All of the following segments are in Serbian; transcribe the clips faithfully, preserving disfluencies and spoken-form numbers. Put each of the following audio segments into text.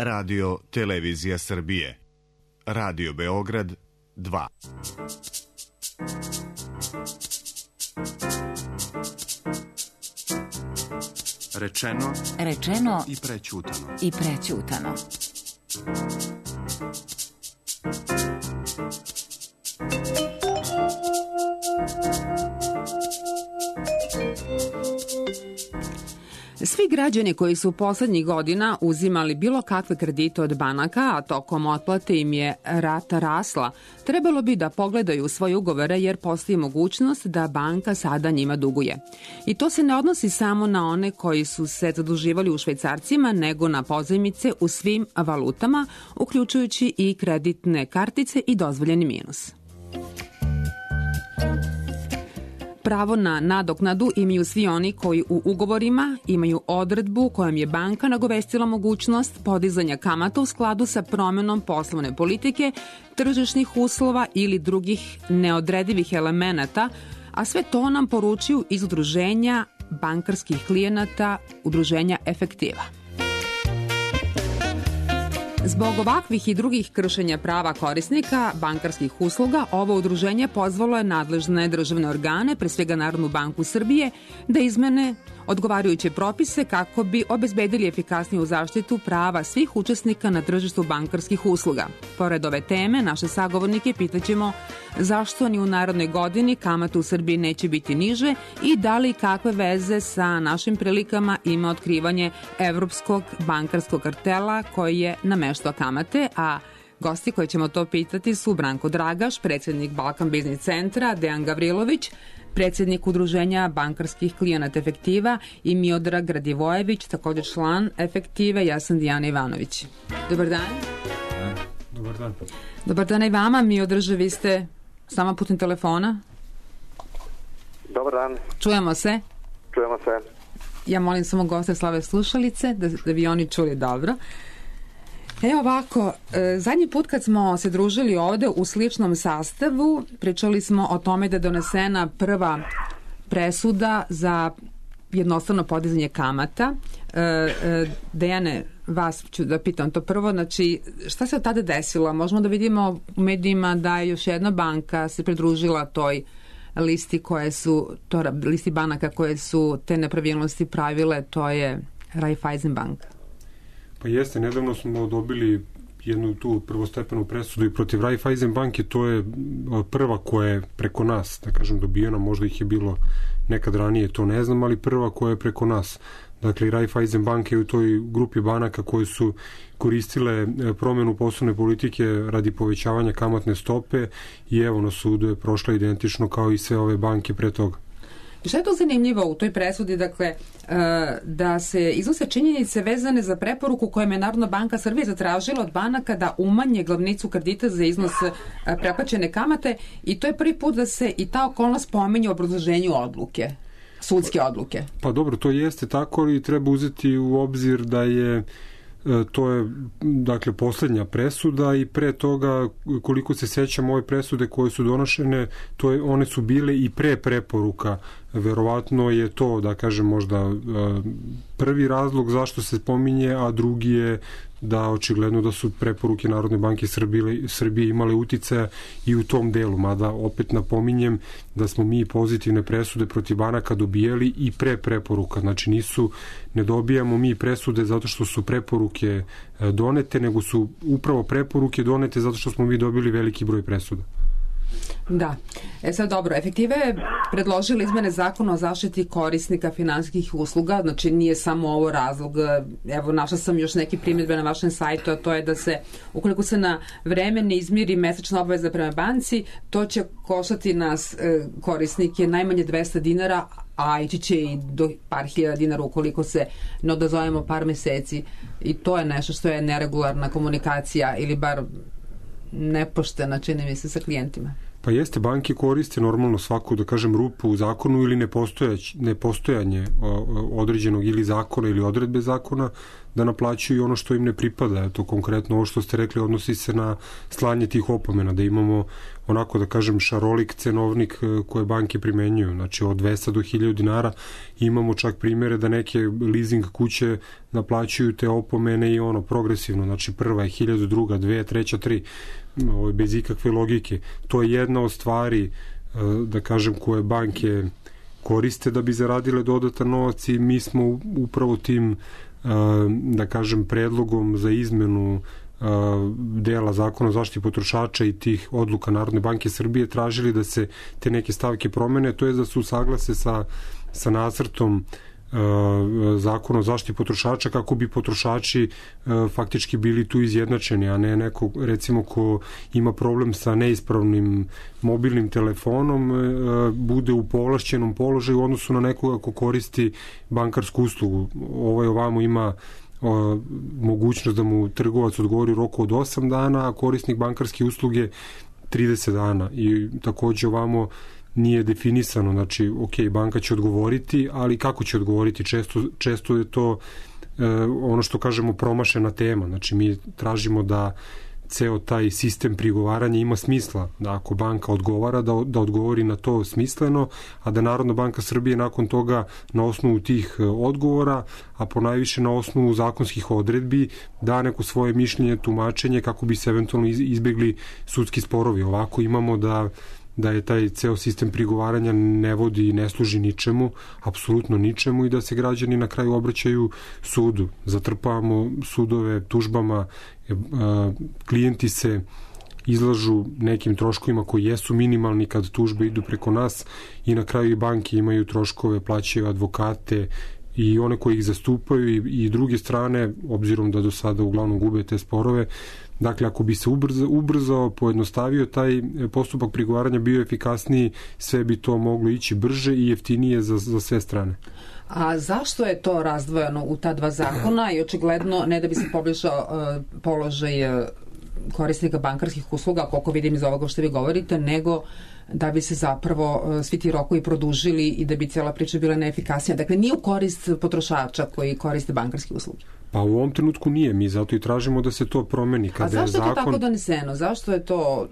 Radio Televizija Srbije. Radio Beograd dva. Rečeno, Rečeno i prećutano. I prećutano. Svi građani koji su poslednjih godina uzimali bilo kakve kredite od banaka, a tokom otplate im je rata rasla, trebalo bi da pogledaju svoje ugovore jer postoji mogućnost da banka sada njima duguje. I to se ne odnosi samo na one koji su se zaduživali u švajcarcima, nego na pozajmice u svim valutama, uključujući i kreditne kartice i dozvoljeni minus. Pravo na nadoknadu imaju svi oni koji u ugovorima imaju odredbu kojom je banka nagovestila mogućnost podizanja kamata u skladu sa promenom poslovne politike, tržišnih uslova ili drugih neodredivih elemenata, a sve to nam poručuju iz udruženja bankarskih klijenata, udruženja Efektiva. Zbog ovakvih i drugih kršenja prava korisnika bankarskih usluga, ovo udruženje pozvalo je nadležne državne organe, pre svega Narodnu banku Srbije, da izmene odgovarajuće propise kako bi obezbedili efikasniju zaštitu prava svih učesnika na tržištu bankarskih usluga. Pored ove teme, naše sagovornike pitaćemo zašto ni u narednoj godini kamata u Srbiji neće biti niže i da li kakve veze sa našim prilikama ima otkrivanje evropskog bankarskog kartela koji je nameštao kamate, a gosti koji ćemo to pitati su Branko Dragaš, predsednik Balkan Biznis centra, Dejan Gavrilović, predsednik udruženja bankarskih klijenata Efektiva i Miodrag Radivojević, također član Efektive. Ja sam Dijana Ivanović. Dobar dan. Dobar dan. Dobar dan i vama. Miodraže, vi ste sama putem telefona. Dobar dan. Čujemo se. Čujemo se. Ja molim samo goste slave slušalice da, da bi oni čuli dobro. Evo ovako, zadnji put kad smo se družili ovde u sličnom sastavu, pričali smo o tome da je donesena prva presuda za jednostavno podizanje kamata. Dejane, vas ću da pitam to prvo, znači šta se od tada desilo? Možemo da vidimo u medijima da je još jedna banka se pridružila toj listi koje su, to, listi banaka koje su te nepravilnosti pravile, to je Raiffeisen banka. Pa jeste, nedavno smo dobili jednu tu prvostepenu presudu i protiv Raiffeisen banke, to je prva koja je preko nas, da kažem, dobijena, možda ih je bilo nekad ranije, to ne znam, ali prva koja je preko nas. Dakle, Raiffeisen banke je u toj grupi banaka koje su koristile promenu poslovne politike radi povećavanja kamatne stope i evo na sudu je prošla identično kao i sve ove banke pre toga. Šta je to zanimljivo u toj presudi, dakle, da se iznose činjenice vezane za preporuku kojom je Narodna banka Srbije zatražila od banaka da umanje glavnicu kredita za iznos preplaćene kamate i to je prvi put da se i ta okolnost pominje u obrazloženju odluke, sudske odluke. Pa dobro, to jeste tako, ali treba uzeti u obzir da je to je, dakle, poslednja presuda i pre toga, koliko se sećam, ove presude koje su donošene, to je, one su bile i pre preporuka. Verovatno je to, da kažem, možda prvi razlog zašto se pominje, a drugi je da očigledno da su preporuke Narodne banke Srbije, Srbije imale uticaja i u tom delu, mada opet napominjem da smo mi pozitivne presude protiv banaka dobijali i pre preporuka, znači nisu, ne dobijamo mi presude zato što su preporuke donete, nego su upravo preporuke donete zato što smo mi dobili veliki broj presuda. Da. E sad dobro, Efektiva je predložila izmene zakona o zaštiti korisnika finansijskih usluga, znači nije samo ovo razlog, evo našla sam još neki primjedbe na vašem sajtu, a to je da se, ukoliko se na vreme ne izmiri mesečna obaveza prema banci, to će koštati nas korisnike najmanje dvesta dinara, a ići će i do par hiljada dinara ukoliko se ne odazovemo par meseci i to je nešto što je neregularna komunikacija ili bar nepoštena, čini mi se, sa klijentima. Pa jeste, banke koriste normalno svaku, da kažem, rupu u zakonu ili nepostojanje određenog ili zakona ili odredbe zakona da naplaćuju ono što im ne pripada. To konkretno ovo što ste rekli odnosi se na slanje tih opomena, da imamo onako da kažem šarolik cenovnik koje banke primenjuju, znači od dvesta do hiljadu dinara. Imamo čak primjere da neke leasing kuće naplaćuju te opomene i ono progresivno, znači prva je hiljadu, druga, dve, treća, tri, bez ikakve logike. To je jedna od stvari, da kažem, koje banke koriste da bi zaradile dodatan novac i mi smo upravo tim, da kažem, predlogom za izmenu dela zakona o zaštiti potrošača i tih odluka Narodne banke Srbije tražili da se te neke stavke promene, to je da se usaglase sa, sa nacrtom zakona o zaštiti potrošača kako bi potrošači faktički bili tu izjednačeni, a ne neko recimo ko ima problem sa neispravnim mobilnim telefonom bude u povlašćenom položaju u odnosu na nekoga ko koristi bankarsku uslugu. Ovaj ovamo ima O, mogućnost da mu trgovac odgovori u roku od osam dana, a korisnik bankarske usluge trideset dana. I takođe ovamo nije definisano, znači, ok, banka će odgovoriti, ali kako će odgovoriti? Često, često je to e, ono što kažemo promašena tema. Znači, mi tražimo da ceo taj sistem prigovaranja ima smisla, da ako banka odgovara, da, da odgovori na to smisleno, a da Narodna banka Srbije nakon toga na osnovu tih odgovora, a ponajviše na osnovu zakonskih odredbi, da neko svoje mišljenje, tumačenje kako bi se eventualno izbegli sudski sporovi. Ovako imamo da da je taj ceo sistem prigovaranja ne vodi i ne služi ničemu, apsolutno ničemu, i da se građani na kraju obraćaju sudu. Zatrpavamo sudove tužbama, klijenti se izlažu nekim troškovima koji jesu minimalni kad tužbe idu preko nas i na kraju i banke imaju troškove, plaćaju advokate i one koji ih zastupaju i, i druge strane, obzirom da do sada uglavnom gube te sporove. Dakle, ako bi se ubrzao, ubrzao, pojednostavio taj postupak prigovaranja, bio efikasniji, sve bi to moglo ići brže i jeftinije za, za sve strane. A zašto je to razdvojeno u ta dva zakona i očigledno ne da bi se poboljšao uh, položaj uh, korisnika bankarskih usluga, koliko vidim iz ovoga što vi govorite, nego da bi se zapravo uh, svi ti rokovi produžili i da bi cijela priča bila neefikasnija. Dakle, nije u korist potrošača koji koriste bankarske usluge. Pa u ovom trenutku nije, mi zato i tražimo da se to promeni. Kada A zašto je, zakon... je to tako doneseno? Zašto je to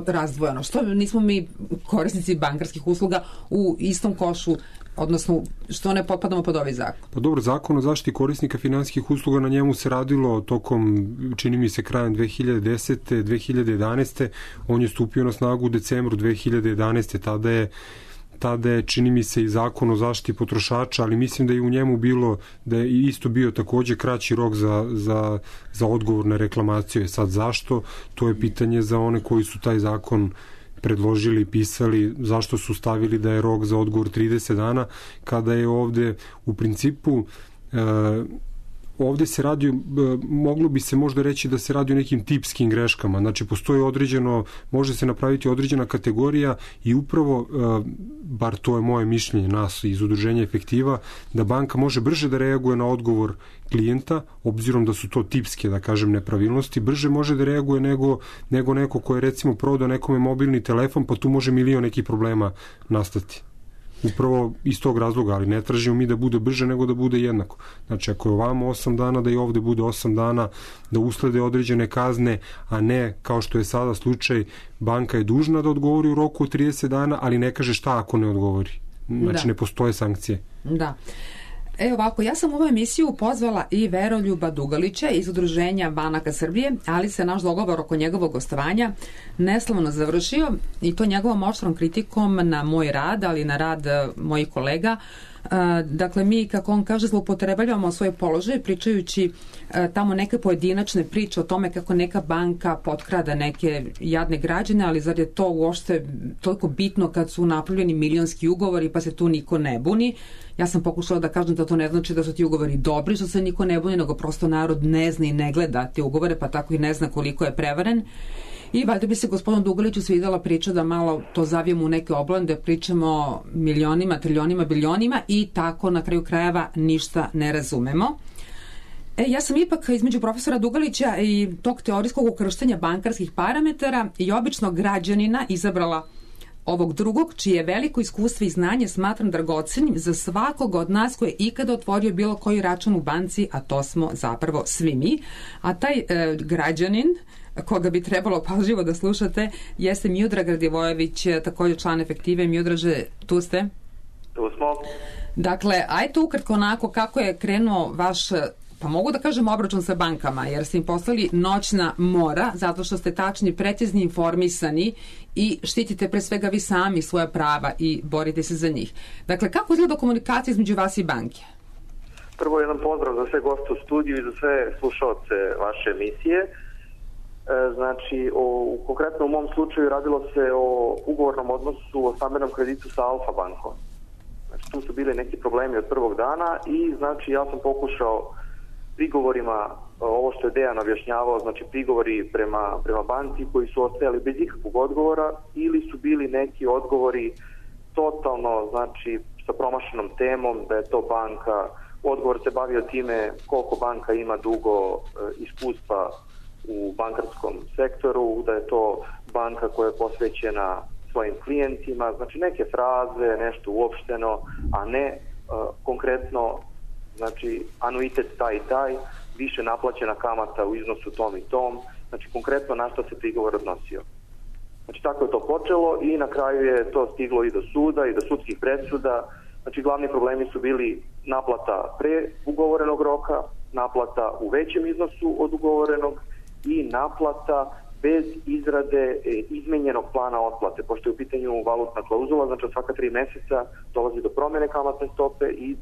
razdvojeno? Što nismo mi korisnici bankarskih usluga u istom košu, odnosno što ne potpadamo pod ovaj zakon? Pa dobro, zakon o zaštiti korisnika finansijskih usluga, na njemu se radilo tokom, čini mi se, krajem dve hiljade desete. dve hiljade jedanaeste. On je stupio na snagu u decembru dve hiljade jedanaeste. Tada je tada je, čini mi se, i zakon o zaštiti potrošača, ali mislim da je u njemu bilo, da je isto bio takođe kraći rok za, za, za odgovor na reklamaciju. Sad zašto? To je pitanje za one koji su taj zakon predložili, pisali, zašto su stavili da je rok za odgovor trideset dana, kada je ovde u principu e, ovde se radi, moglo bi se možda reći da se radi o nekim tipskim greškama. Znači, postoji određeno, može se napraviti određena kategorija i upravo, bar to je moje mišljenje nas iz udruženja Efektiva, da banka može brže da reaguje na odgovor klijenta, obzirom da su to tipske, da kažem, nepravilnosti, brže može da reaguje nego, nego neko ko je recimo prodao nekome mobilni telefon, pa tu može milion nekih problema nastati. Upravo iz tog razloga, ali ne tražimo mi da bude brže, nego da bude jednako. Znači, ako je ovamo osam dana, da i ovde bude osam dana, da uslede određene kazne, a ne, kao što je sada slučaj, banka je dužna da odgovori u roku od trideset dana, ali ne kaže šta ako ne odgovori. Znači, da. Ne postoje sankcije. Da. E ovako, ja sam u ovu emisiju pozvala i Veroljuba Dugalića iz Udruženja banaka Srbije, ali se naš dogovor oko njegovog gostovanja neslavno završio i to njegovom oštrom kritikom na moj rad, ali na rad mojih kolega. Dakle, mi, kako on kaže, zloupotrebljavamo svoj položaj pričajući tamo neke pojedinačne priče o tome kako neka banka potkrada neke jadne građane, ali zar je to uopšte toliko bitno kad su napravljeni milionski ugovori pa se tu niko ne buni. Ja sam pokušala da kažem da to ne znači da su ti ugovori dobri, što se niko ne buni, nego prosto narod ne zna i ne gleda te ugovore, pa tako i ne zna koliko je prevaren. I valjda bi se gospodinu Dugaliću svidela priča da malo to zavijemo u neke oblande, pričamo o milionima, triljonima, biljonima i tako na kraju krajeva ništa ne razumemo. E, ja sam ipak između profesora Dugalića i tog teorijskog ukrštenja bankarskih parametara i običnog građanina izabrala ovog drugog, čije veliko iskustvo i znanje smatram dragocenim za svakog od nas koji je ikada otvorio bilo koji račun u banci, a to smo zapravo svi mi. A taj e, građanin koga bi trebalo pažljivo da slušate jeste Miodrag Radivojević, također član Efektive. Miodraže, tu ste? Tu smo. Dakle, ajte ukratko onako kako je krenuo vaš, pa mogu da kažem, obračun sa bankama, jer ste im poslali noćna mora, zato što ste tačni, precizni, informisani i štitite pre svega vi sami svoja prava i borite se za njih. Dakle, kako izgleda komunikacija između vas i banke? Prvo jedan pozdrav za sve goste u studiju i za sve slušaoce vaše emisije. E, znači, o, konkretno u mom slučaju radilo se o ugovornom odnosu, o stambenom kreditu sa Alfa bankom. Znači, tu su bili neki problemi od prvog dana i znači ja sam pokušao prigovorima, ovo što je Dejan objašnjavao, znači prigovori prema, prema banci koji su ostajali bez ikakvog odgovora ili su bili neki odgovori totalno, znači sa promašenom temom, da je to banka, odgovor se bavio time koliko banka ima dugo e, iskustva u bankarskom sektoru, da je to banka koja je posvećena svojim klijentima, znači neke fraze, nešto uopšteno, a ne e, konkretno, znači anuitet taj i taj, više naplaćena kamata u iznosu tom i tom, znači konkretno na što se prigovor odnosio. Znači tako je to počelo i na kraju je to stiglo i do suda i do sudskih presuda. Znači glavni problemi su bili naplata pre ugovorenog roka, naplata u većem iznosu od ugovorenog i naplata bez izrade izmenjenog plana otplate, pošto je u pitanju valutna klauzula, znači od svaka tri meseca dolazi do promjene kamatne stope i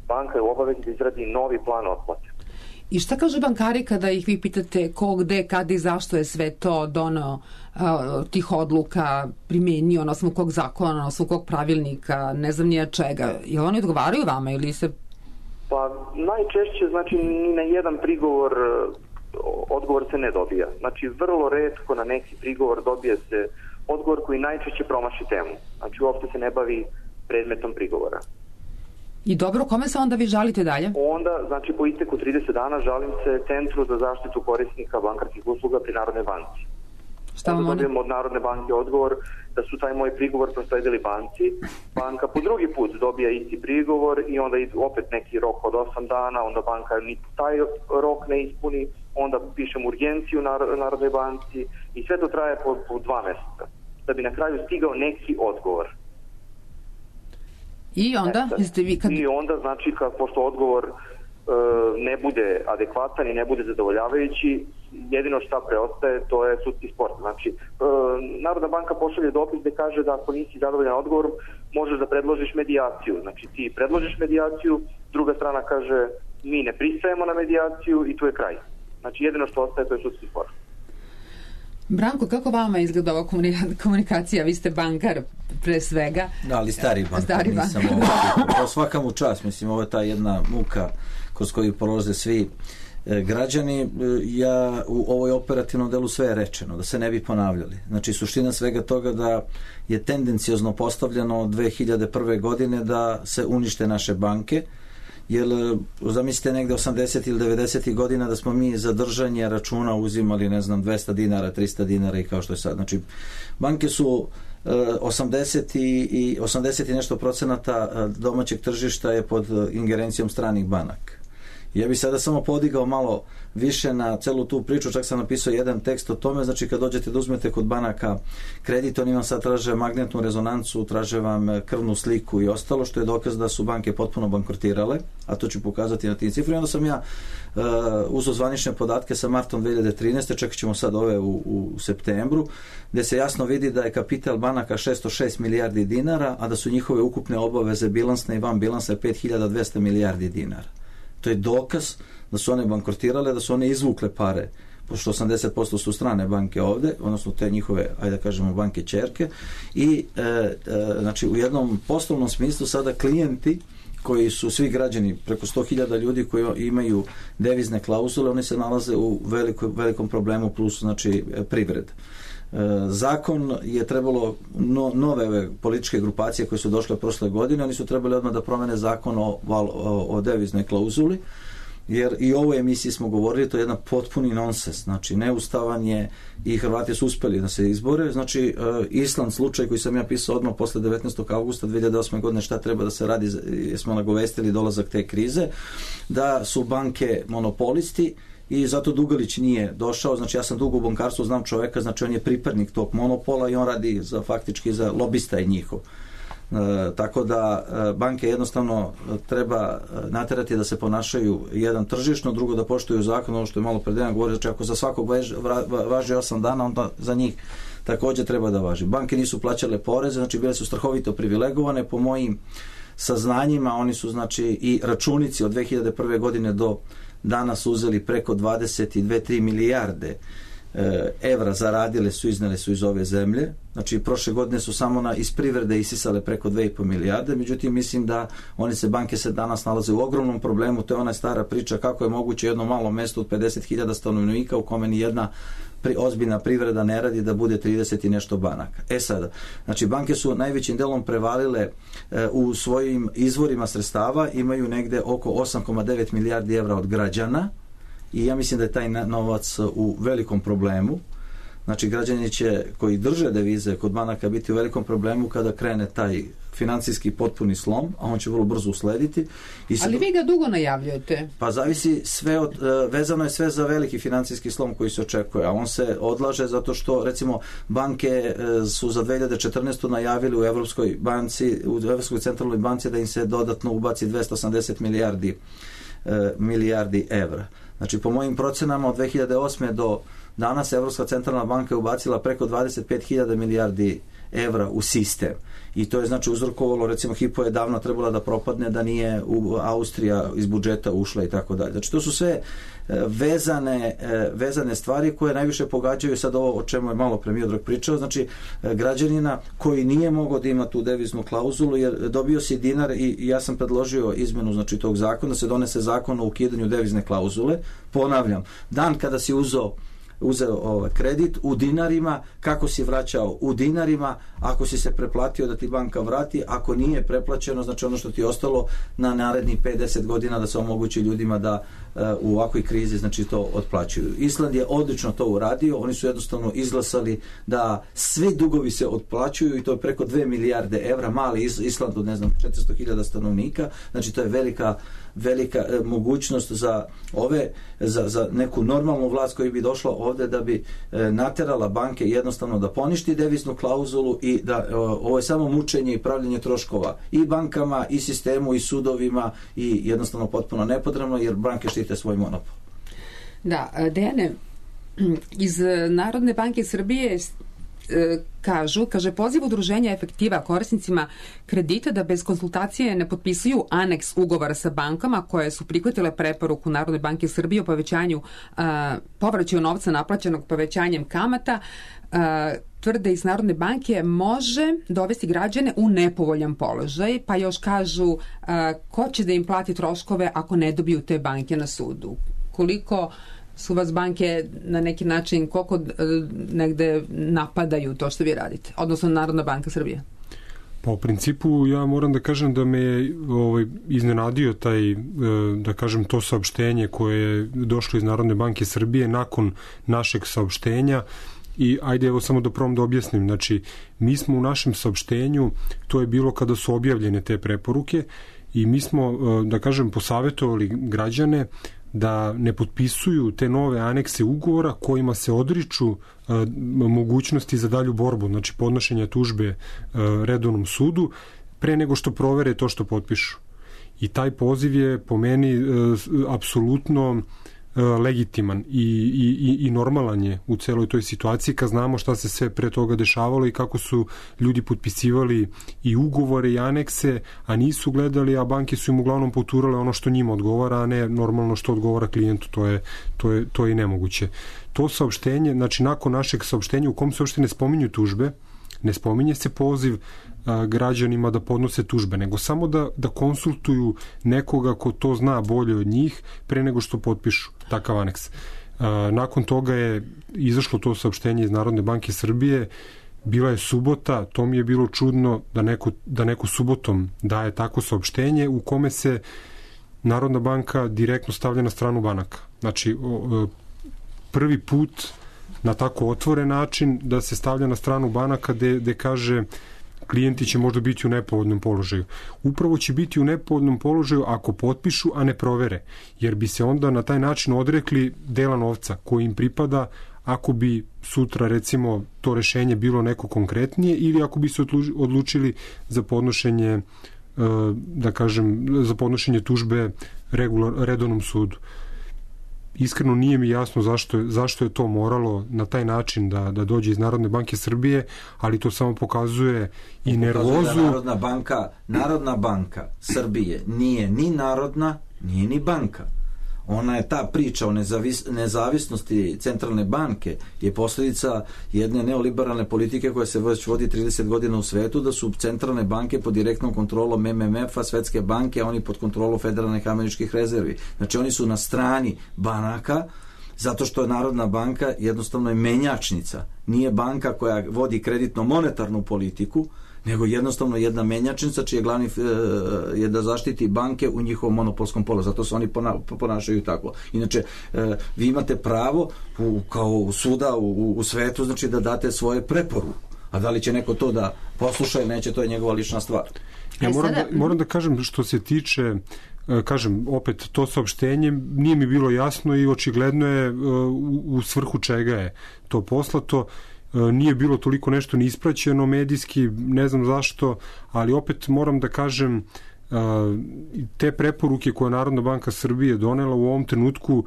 banka je u obavezi da izradi novi plan otplate. I šta kažu bankari kada ih vi pitate ko, gde, kada i zašto je sve to doneo uh, tih odluka, primenio na osnovu kog zakona, na osnovu kog pravilnika, ne znam nija čega? Jel oni odgovaraju vama ili se... Pa najčešće, znači ni na jedan prigovor odgovor se ne dobija. Znači vrlo retko na neki prigovor dobije se odgovor koji najčešće promaši temu. Znači uopšte se ne bavi predmetom prigovora. I dobro, kome se onda vi žalite dalje? Onda, znači po isteku trideset dana žalim se Centru za zaštitu korisnika bankarskih usluga pri Narodnoj banci. Šta vam onda oni? dobijem od Narodne banke odgovor da su taj moj prigovor prosledili banci. Banka po drugi put dobija isti prigovor i onda opet neki rok od osam dana, onda banka ni taj rok ne ispuni, onda pišem urgenciju Narodnoj banci i sve to traje po, po dva meseca. Da bi na kraju stigao neki odgovor. I onda? Jeste vi kad... I onda, znači, kad, pošto odgovor e, ne bude adekvatan i ne bude zadovoljavajući, jedino šta preostaje, to je sudski spor. Znači, e, Narodna banka pošalje dopis gde kaže da ako nisi zadovoljan odgovorom, možeš da predložiš medijaciju. Znači, ti predložiš medijaciju, druga strana kaže mi ne pristajemo na medijaciju i tu je kraj. Znači, jedino što ostaje, to je sudski spor. Branko, kako vama izgleda ova komunikacija? Vi ste bankar pre svega. Da, ali stari bankar, stari nisam bankar. ovo. Svaka mu čast, mislim, ovo je ta jedna muka kroz koju prolaze svi e, građani. E, ja u ovoj operativnom delu sve je rečeno, da se ne bi ponavljali. Znači, suština svega toga da je tendencijozno postavljeno od dve hiljade prve godine da se unište naše banke, jer zamislite negde osamdeset ili devedeset godina da smo mi za držanje računa uzimali, ne znam, dvesta dinara, trista dinara i kao što je sad. Znači, banke su osamdeset i osamdeset i nešto procenata domaćeg tržišta je pod ingerencijom stranih banaka. Ja bih sada samo podigao malo više na celu tu priču, čak sam napisao jedan tekst o tome, znači kad dođete da uzmete kod banaka kredit, oni vam sad traže magnetnu rezonancu, traže vam krvnu sliku i ostalo, što je dokaz da su banke potpuno bankrotirale, a to ću pokazati na tim cifri. Onda sam ja uh, uzeo zvanične podatke sa martom dve hiljade trinaeste, čekat ćemo sad ove u, u septembru, gde se jasno vidi da je kapital banaka šesto šest milijardi dinara, a da su njihove ukupne obaveze bilansne i van bilansa pet hiljada dvesta milijardi dinara. To je dokaz da su one bankrotirale, da su one izvukle pare, pošto osamdeset posto su strane banke ovde, odnosno te njihove, ajde da kažemo, banke ćerke, i e, e, znači u jednom poslovnom smislu sada klijenti koji su svi građani, preko sto hiljada ljudi koji imaju devizne klauzule, oni se nalaze u veliko, velikom problemu plus, znači, privred. Zakon je trebalo no, nove ove političke grupacije koje su došle prošle godine, oni su trebali odmah da promene zakon o, o, o deviznoj klauzuli jer i u ovoj emisiji smo govorili, to je jedna potpuni nonsens, znači neustavan je i Hrvati su uspeli da se izbore, znači Island slučaj koji sam ja pisao odmah posle devetnaestog avgusta dve hiljade osme godine šta treba da se radi, smo nagovestili dolazak te krize, da su banke monopolisti i zato Dugalić nije došao, znači ja sam dugo u bankarstvu, znam čoveka, znači on je pripadnik tog monopola i on radi za, faktički za lobista je njihov. E, tako da e, banke jednostavno treba naterati da se ponašaju jedan tržišno, drugo da poštuju zakon, ono što je malo pred jedan govorio, znači ako za svakog važi, važi osam dana, onda za njih također treba da važi. Banke nisu plaćale poreze, znači bile su strahovito privilegovane, po mojim saznanjima oni su znači i računici od dve hiljade prve godine do danas uzeli preko dvadeset dve tri milijarde e, evra zaradile su, iznele su iz ove zemlje. Znači prošle godine su samo na, iz privrede isisale preko dve i po milijarde, međutim mislim da oni se banke se danas nalaze u ogromnom problemu, to je ona stara priča kako je moguće jedno malo mesto od pedeset hiljada stanovnika u kome ni jedna pri, ozbiljna privreda ne radi da bude trideset i nešto banaka. E sada, znači banke su najvećim delom prevalile e, u svojim izvorima sredstava, imaju negde oko osam zarez devet milijardi evra od građana i ja mislim da je taj novac u velikom problemu. Znači građani će koji drže devize kod banaka biti u velikom problemu kada krene taj financijski potpuni slom, a on će vrlo brzo uslediti. I Ali vi ga dugo najavljujete? Pa zavisi sve od, vezano je sve za veliki financijski slom koji se očekuje, a on se odlaže zato što recimo banke su za dve hiljade četrnaestu najavili u Evropskoj banci, u Evropskoj centralnoj banci da im se dodatno ubaci dvesta osamdeset milijardi milijardi evra. Znači po mojim procenama od dve hiljade osme do danas Evropska centralna banka je ubacila preko dvadeset pet hiljada milijardi evra u sistem. I to je znači uzrokovalo, recimo Hypo je davno trebala da propadne da nije u Austrija iz budžeta ušla i tako dalje. Znači to su sve vezane, vezane stvari koje najviše pogađaju sad ovo o čemu je malo pre Miodrag pričao, znači građanina koji nije mogao da ima tu deviznu klauzulu jer dobio si dinar i ja sam predložio izmenu znači tog zakona, da se donese zakon o ukidanju devizne klauzule. Ponavljam, dan kada si uzeo uzeo ovaj kredit u dinarima, kako si vraćao u dinarima, ako si se preplatio da ti banka vrati, ako nije preplaćeno, znači ono što ti je ostalo na narednih pet do deset godina da se omogući ljudima da uh, u ovakvoj krizi znači to otplaćuju. Island je odlično to uradio, oni su jednostavno izglasali da svi dugovi se otplaćuju i to je preko dve milijarde evra, mali Island od ne znam četiristo hiljada stanovnika, znači to je velika velika e, mogućnost za ove za, za neku normalnu vlast koja bi došla ovde da bi e, naterala banke jednostavno da poništi deviznu klauzulu i da e, ovo je samo mučenje i pravljenje troškova i bankama i sistemu i sudovima i jednostavno potpuno nepotrebno jer banke štite svoj monopol. Da, Dejane, iz Narodne banke Srbije kažu, kaže poziv udruženja efektiva korisnicima kredita da bez konsultacije ne potpisuju aneks ugovora sa bankama koje su prihvatile preporuku Narodne banke Srbije o povećanju a, povraćaju novca naplaćenog povećanjem kamata, a, tvrde iz Narodne banke može dovesti građane u nepovoljan položaj, pa još kažu a, ko će da im plati troškove ako ne dobiju te banke na sudu. Koliko su vas banke na neki način, koliko negde napadaju to što vi radite, odnosno Narodna banka Srbije? Pa u principu ja moram da kažem da me ovaj, iznenadio taj, da kažem, to saopštenje koje je došlo iz Narodne banke Srbije nakon našeg saopštenja. I ajde evo samo da probam da objasnim, znači mi smo u našem saopštenju, to je bilo kada su objavljene te preporuke i mi smo, da kažem, posavetovali građane da ne potpisuju te nove anekse ugovora kojima se odriču a, mogućnosti za dalju borbu, znači podnošenja tužbe a, redovnom sudu pre nego što provere to što potpišu. I taj poziv je po meni a, apsolutno legitiman i, i, i normalan je u celoj toj situaciji kad znamo šta se sve pre toga dešavalo i kako su ljudi potpisivali i ugovore i anekse, a nisu gledali, a banke su im uglavnom poturale ono što njima odgovara, a ne normalno što odgovara klijentu, to je, to je, to je i nemoguće. To saopštenje, znači nakon našeg saopštenja u kom se uopšte ne spominju tužbe, ne spominje se poziv a, građanima da podnose tužbe, nego samo da, da konsultuju nekoga ko to zna bolje od njih pre nego što potpišu takav aneks. A, nakon toga je izašlo to saopštenje iz Narodne banke Srbije, bila je subota, to mi je bilo čudno da neko, da neko subotom daje tako saopštenje u kome se Narodna banka direktno stavlja na stranu banaka. Znači, prvi put na tako otvoren način da se stavlja na stranu banaka gde, gde kaže klijenti će možda biti u nepovoljnom položaju. Upravo će biti u nepovoljnom položaju ako potpišu, a ne provere, jer bi se onda na taj način odrekli dela novca koji im pripada ako bi sutra recimo to rešenje bilo neko konkretnije ili ako bi se odlučili za podnošenje da kažem, za podnošenje tužbe regular, redovnom sudu. Iskreno nije mi jasno zašto je, zašto je to moralo na taj način da, da dođe iz Narodne banke Srbije, ali to samo pokazuje i nervozu. Da Narodna banka, Narodna banka Srbije nije ni narodna, nije ni banka. Ona je ta priča o nezavis, nezavisnosti centralne banke je posljedica jedne neoliberalne politike koja se već vodi trideset godina u svetu, da su centralne banke pod direktnom kontrolom M M F-a, Svetske banke, a oni pod kontrolom Federalnih američkih rezervi. Znači oni su na strani banaka zato što je Narodna banka jednostavno je menjačnica. Nije banka koja vodi kreditno-monetarnu politiku, nego jednostavno jedna menjačnica čiji je glavni e, je da zaštiti banke u njihovom monopolskom položaju. Zato se oni pona, ponašaju tako. Inače, e, vi imate pravo u, kao suda u, u svetu, znači da date svoje preporuke. A da li će neko to da posluša ili neće, to je njegova lična stvar. Ja moram da, moram da kažem što se tiče, kažem, opet to saopštenje nije mi bilo jasno i očigledno je u, u svrhu čega je to poslato. Nije bilo toliko nešto ni ispraćeno medijski, ne znam zašto, ali opet moram da kažem te preporuke koje Narodna banka Srbije donela u ovom trenutku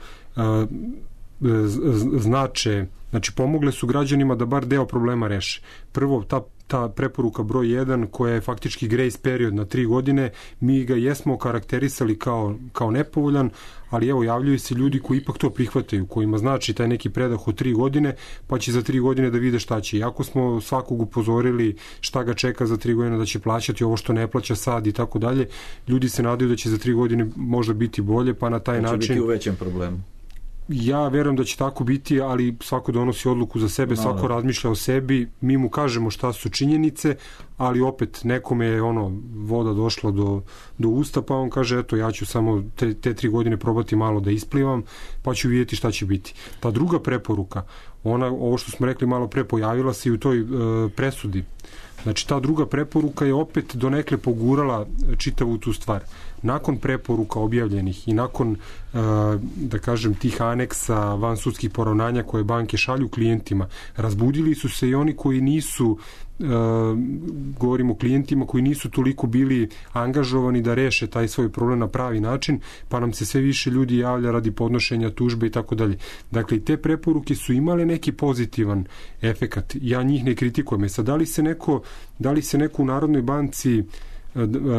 znače, znači pomogle su građanima da bar deo problema reše. Prvo, ta ta preporuka broj jedan koja je faktički grace period na tri godine, mi ga jesmo karakterisali kao, kao nepovoljan, ali evo javljaju se ljudi koji ipak to prihvataju, kojima znači taj neki predah od tri godine, pa će za tri godine da vide šta će. Iako smo svakog upozorili šta ga čeka za tri godine, da će plaćati ovo što ne plaća sad i tako dalje, ljudi se nadaju da će za tri godine možda biti bolje, pa na taj način... način... će biti u većem problemu. Ja verujem da će tako biti, ali svako donosi odluku za sebe, svako no, razmišlja o sebi, mi mu kažemo šta su činjenice, ali opet nekome je ono voda došla do, do usta, pa on kaže eto ja ću samo te, te tri godine probati malo da isplivam, pa ću vidjeti šta će biti. Ta druga preporuka, ona, ovo što smo rekli malo pre, pojavila se i u toj e, presudi. Znači ta druga preporuka je opet donekle pogurala čitavu tu stvar. Nakon preporuka objavljenih i nakon, da kažem, tih aneksa vansudskih poravnanja koje banke šalju klijentima, razbudili su se i oni koji nisu, govorimo o klijentima koji nisu toliko bili angažovani da reše taj svoj problem na pravi način, pa nam se sve više ljudi javlja radi podnošenja tužbe i tako dalje. Dakle, i te preporuke su imale neki pozitivan efekat. Ja njih ne kritikujem. E sad, da li se neko, da li se neko u Narodnoj banci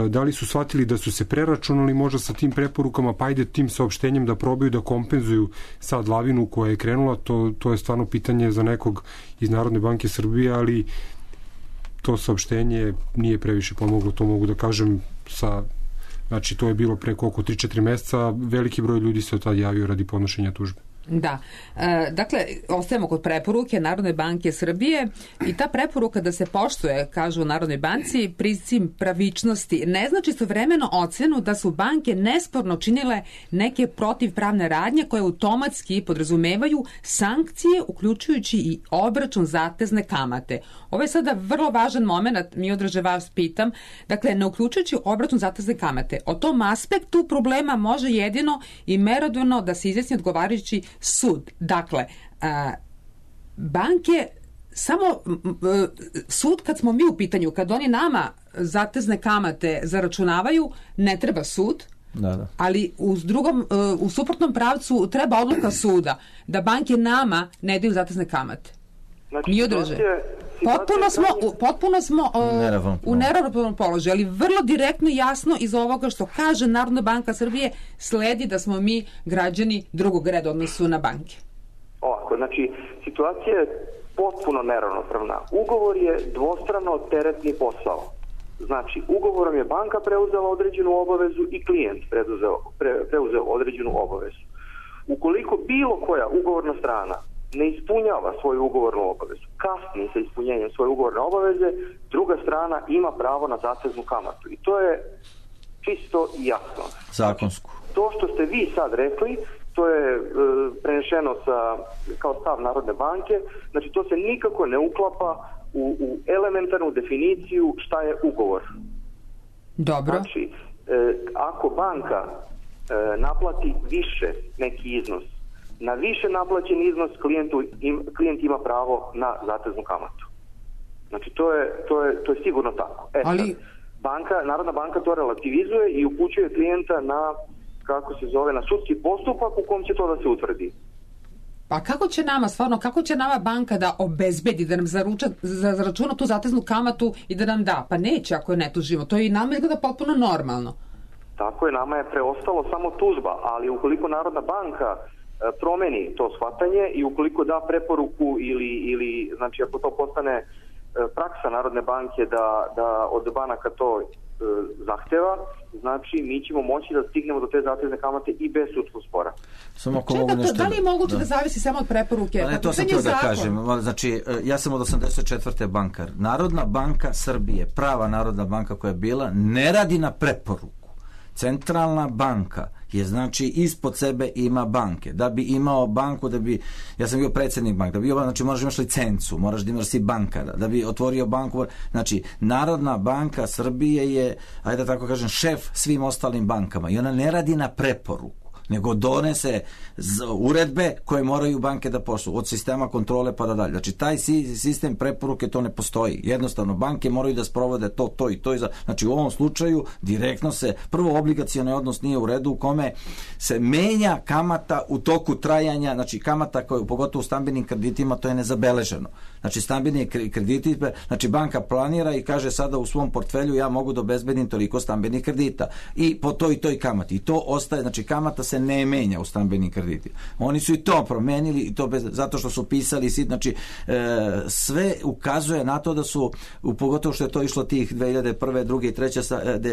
da li su shvatili da su se preračunali možda sa tim preporukama, pa ajde tim saopštenjem da probaju da kompenzuju sad lavinu koja je krenula, to, to je stvarno pitanje za nekog iz Narodne banke Srbije, ali to saopštenje nije previše pomoglo, to mogu da kažem sa, znači to je bilo pre koliko tri četiri meseca, veliki broj ljudi se od tada javio radi podnošenja tužbe. Da. E, dakle, ostajemo kod preporuke Narodne banke Srbije i ta preporuka da se poštuje, kažu u Narodnoj banci, princip pravičnosti ne znači istovremeno ocenu da su banke nesporno činile neke protivpravne radnje koje automatski podrazumevaju sankcije, uključujući i obračun zatezne kamate. Ovo je sada vrlo važan moment, mi odraže vas pitam, dakle, ne uključujući obračun zatezne kamate. O tom aspektu problema može jedino i merodavno da se izjasni odgovarajući sud. Dakle, a, banke samo sud kad smo mi u pitanju, kad oni nama zatezne kamate zaračunavaju, ne treba sud, da, da. Ali u drugom, u suprotnom pravcu treba odluka suda da banke nama ne daju zatezne kamate. Znači, mi održe. Potpuno smo, potpuno smo uh, u neravnopravnom položaju, ali vrlo direktno i jasno iz ovoga što kaže Narodna banka Srbije sledi da smo mi građani drugog reda odnosu na banke. Ovako, znači, situacija je potpuno neravnopravna. Ugovor je dvostrano teretni posao. Znači, ugovorom je banka preuzela određenu obavezu i klijent preuzeo, pre, preuzeo određenu obavezu. Ukoliko bilo koja ugovorna strana ne ispunjava svoju ugovornu obavezu, kasni sa ispunjenjem svoje ugovorne obaveze, druga strana ima pravo na zateznu kamatu. I to je čisto i jasno. Zakonsku. to što ste vi sad rekli, to je e, prenešeno sa, kao stav Narodne banke, znači to se nikako ne uklapa u, u elementarnu definiciju šta je ugovor. Dobro. Znači, e, ako banka e, naplati više neki iznos, na više naplaćen iznos klijentu, im, klijent ima pravo na zateznu kamatu. Znači, to je, to je, to je sigurno tako. E, Ali... sad, banka, Narodna banka to relativizuje i upućuje klijenta na, kako se zove, na sudski postupak u kom će to da se utvrdi. Pa kako će nama, stvarno, kako će nama banka da obezbedi, da nam zaruča, zaračuna tu zateznu kamatu i da nam da? Pa neće ako je ne tužimo. To je i nama izgleda potpuno normalno. Tako je, nama je preostalo samo tužba, ali ukoliko Narodna banka promeni to shvatanje i ukoliko da preporuku ili, ili znači ako to postane praksa Narodne banke da, da od banaka to e, zahteva, znači mi ćemo moći da stignemo do te zatezne kamate i bez sudskog spora. Samo ako Čekaj, mogu nešto... da li je moguće da, da zavisi samo od preporuke? Pa ne, to sam htio da kažem. Znači, ja sam od osamdeset četvrte bankar. Narodna banka Srbije, prava Narodna banka koja je bila, ne radi na preporuku. Centralna banka je, znači, ispod sebe ima banke. Da bi imao banku, da bi, ja sam bio predsjednik banke, da bi bio, znači moraš imaš licencu, moraš da imaš si bankara, da bi otvorio banku, znači Narodna banka Srbije je, ajde da tako kažem, šef svim ostalim bankama i ona ne radi na preporuku, nego donese uredbe koje moraju banke da poštuju, od sistema kontrole pa da dalje. Znači, taj sistem preporuke to ne postoji. Jednostavno, banke moraju da sprovode to, to i to. I za... Znači, u ovom slučaju direktno se, prvo, obligacioni odnos nije u redu u kome se menja kamata u toku trajanja, znači kamata koja, pogotovo u stambenim kreditima, to je nezabeleženo. Znači, stambeni krediti, znači banka planira i kaže sada u svom portfelju ja mogu da obezbedim toliko stambenih kredita i po toj i toj kamati. I to ostaje, znači kamata se ne menja u stambenim kreditima. Oni su i to promenili i to bez, zato što su pisali, znači e, sve ukazuje na to da su, u, pogotovo što je to išlo tih dve hiljade prve, druge i treće,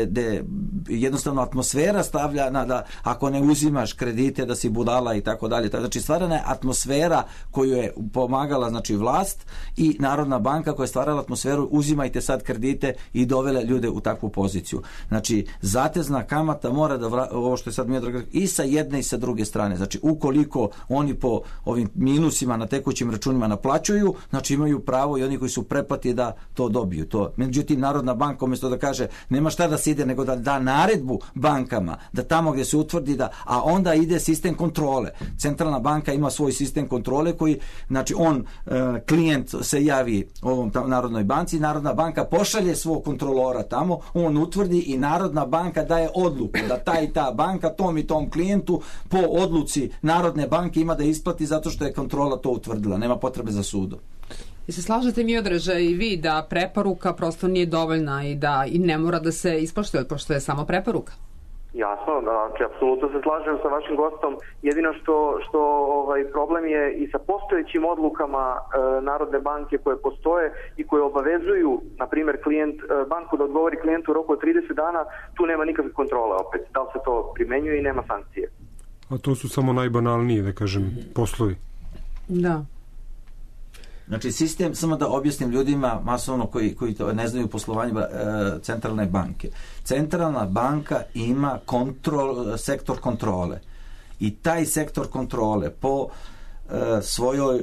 gde jednostavno atmosfera stavlja na da ako ne uzimaš kredite da si budala i tako dalje. Znači stvarana je atmosfera koju je pomagala, znači vlast i Narodna banka koja je stvarala atmosferu uzimajte sad kredite i dovele ljude u takvu poziciju. Znači zatezna kamata mora da vra, ovo što je sad Miodrag i sa jedne i sa druge strane. Znači ukoliko oni po ovim minusima na tekućim računima naplaćuju, znači imaju pravo i oni koji su preplati da to dobiju. To. Međutim, Narodna banka umjesto da kaže nema šta da se ide, nego da da naredbu bankama, da tamo gdje se utvrdi da, a onda ide sistem kontrole. Centralna banka ima svoj sistem kontrole koji, znači on, e, klijent se javi ovom tam, Narodnoj banci, Narodna banka pošalje svog kontrolora tamo, on utvrdi i Narodna banka daje odluku da ta i ta banka tom i tom klijentu po odluci Narodne banke ima da isplati zato što je kontrola to utvrdila. Nema potrebe za sudom. I se slažete mi odreže i vi da preporuka prosto nije dovoljna i da i ne mora da se ispoštuje, pošto je samo preporuka? Jasno, znači apsolutno se slažem sa vašim gostom. Jedino što, što ovaj problem je i sa postojećim odlukama e, Narodne banke koje postoje i koje obavezuju, na primjer, klijent, e, banku da odgovori klijentu u roku od trideset dana, tu nema nikakve kontrole opet. Da li se to primenjuje i nema sankcije. A to su samo najbanalnije, da kažem, poslovi. Da. Znači sistem, samo da objasnim ljudima masovno koji, koji to ne znaju poslovanje e, centralne banke. Centralna banka ima kontrol, sektor kontrole i taj sektor kontrole po e, svojoj e,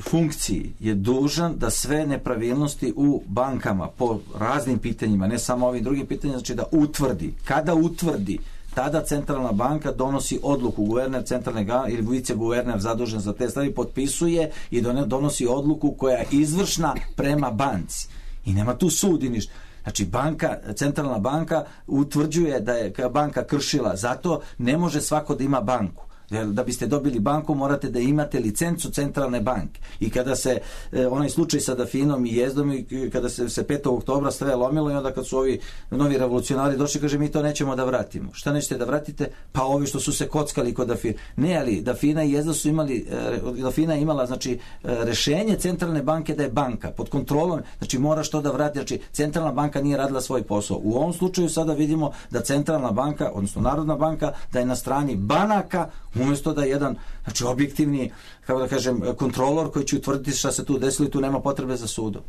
funkciji je dužan da sve nepravilnosti u bankama po raznim pitanjima, ne samo ovim drugim pitanjima, znači da utvrdi. Kada utvrdi, tada centralna banka donosi odluku, guverner centralne banke ili viceguverner zadužen za te stvari potpisuje i donosi odluku koja je izvršna prema banci. I nema tu sudi ništa. Znači banka, centralna banka utvrđuje da je banka kršila, zato ne može svako da ima banku. Da biste dobili banku morate da imate licencu centralne banke. I kada se e, onaj slučaj sa Dafinom i Jezdom i kada se, se petog oktobra sve lomilo i onda kad su ovi novi revolucionari došli, kaže mi to nećemo da vratimo. Šta nećete da vratite? Pa ovi što su se kockali kod Dafina. Ne, ali Dafina i Jezda su imali, e, Dafina je imala znači e, rešenje centralne banke da je banka pod kontrolom, znači mora što da vrati, znači centralna banka nije radila svoj posao. U ovom slučaju sada vidimo da centralna banka, odnosno Narodna banka, da je na strani banaka umjesto da je jedan, znači objektivni, kako da kažem, kontrolor koji će utvrditi šta se tu desilo i tu nema potrebe za sudom.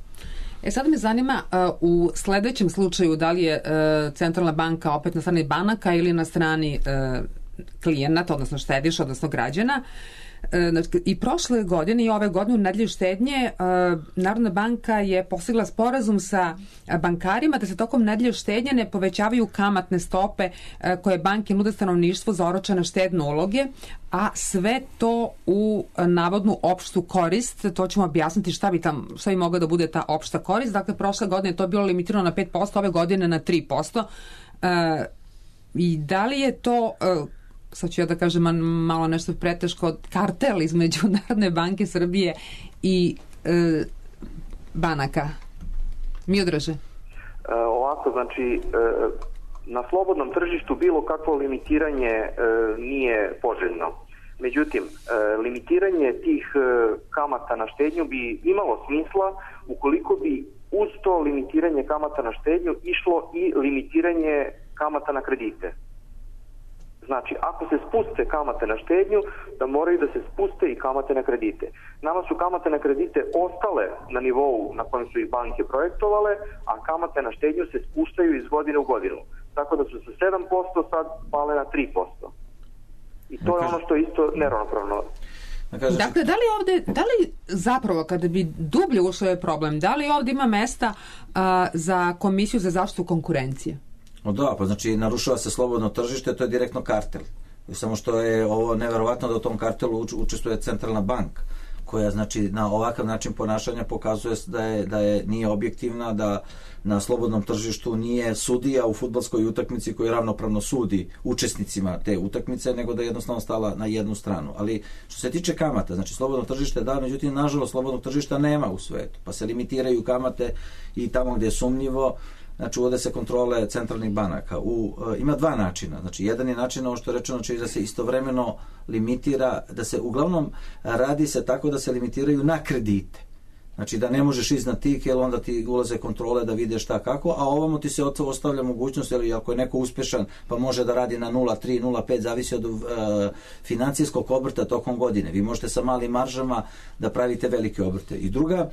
E sad me zanima uh, u sledećem slučaju da li je uh, centralna banka opet na strani banaka ili na strani uh, klijenata, odnosno štediša, odnosno građana. I prošle godine i ove godine u nedelju štednje Narodna banka je postigla sporazum sa bankarima da se tokom nedelje štednje ne povećavaju kamatne stope koje banke nude stanovništvu za oročene štedne uloge, a sve to u navodnu opštu korist. To ćemo objasniti šta bi, tam, šta bi mogla da bude ta opšta korist. Dakle, prošle godine je to bilo limitirano na pet posto, ove godine na tri posto. I da li je to... sad ću ja da kažem malo nešto preteško, kartel između Narodne banke Srbije i e, banaka? Miodraže? E, ovako, znači, e, na slobodnom tržištu bilo kakvo limitiranje e, nije poželjno. Međutim, e, limitiranje tih e, kamata na štednju bi imalo smisla ukoliko bi uz to limitiranje kamata na štednju išlo i limitiranje kamata na kredite. Znači, ako se spuste kamate na štednju, da moraju da se spuste i kamate na kredite. Nama su kamate na kredite ostale na nivou na kojem su ih banke projektovale, a kamate na štednju se spuštaju iz godine u godinu. Tako da su sa sedam posto sad pale na tri posto. I to je ono što je isto neravnopravno. Dakle, da li ovde, da li zapravo kada bi dublje ušao je problem, da li ovde ima mesta a, za Komisiju za zaštitu konkurencije? O da, pa znači narušava se slobodno tržište, to je direktno kartel. Samo što je ovo neverovatno da u tom kartelu učestvuje Centralna banka, koja znači na ovakav način ponašanja pokazuje da je, da je nije objektivna, da na slobodnom tržištu nije sudija u fudbalskoj utakmici koji ravnopravno sudi učesnicima te utakmice, nego da je jednostavno stala na jednu stranu. Ali što se tiče kamata, znači slobodno tržište da, međutim nažalost slobodnog tržišta nema u svetu, pa se limitiraju kamate i tamo gdje je sumnjivo. Znači, uvode se kontrole centralnih banaka. U, e, ima dva načina. Znači, jedan je način, ovo što je rečeno, znači da se istovremeno limitira, da se uglavnom radi se tako da se limitiraju na kredite. Znači, da ne možeš iznad tih, jer onda ti ulaze kontrole da vide šta kako, a ovamo ti se ostavlja mogućnost, jer ako je neko uspešan, pa može da radi na nula zarez tri, nula zarez pet, zavisi od e, financijskog obrta tokom godine. Vi možete sa malim maržama da pravite velike obrte. I druga,